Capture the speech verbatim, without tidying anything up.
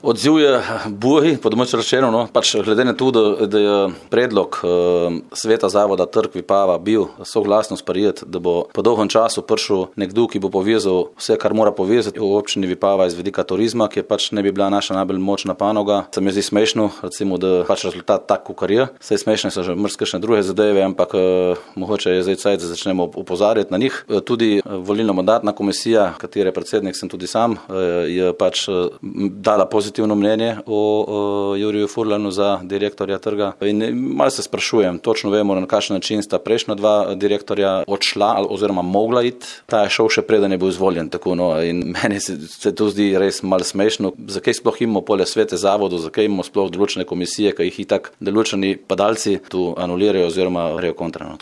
Odziv je buj, po domače rečeno, no, pač glede na to, da, da je predlog uh, sveta zavoda Trg Vipava bil soglasno sprejet, da bo po dolgem času prišel nekdo, ki bo povezal vse, kar mora povezati v občini Vipava iz vidika turizma, ki je pač ne bi bila naša najbolj močna panoga. Se mi zdi smešno, recimo, da pač rezultat tak, kakor je. Saj smešne so že mrzkešne druge zadeve, ampak uh, mogoče je zdaj cajt, da začnemo opozarjati na njih. Uh, tudi uh, volilno-mandatna komisija, katere predsednik sem tudi sam, uh, je pač uh, dala pozitivno mnenje o uh, Juriju Furlanu za direktorja trga. In malo se sprašujem, točno vemo, na kakšen način sta prejšnja dva direktorja odšla oziroma mogla iti. Ta je šel še preden je bil izvoljen. Tako, no, in meni se, se to zdi res malo smešno. Zakaj sploh imamo pole svete zavodov, zakaj imamo sploh določene komisije, ki jih itak določeni padalci tu anulirajo oziroma grejo kontra.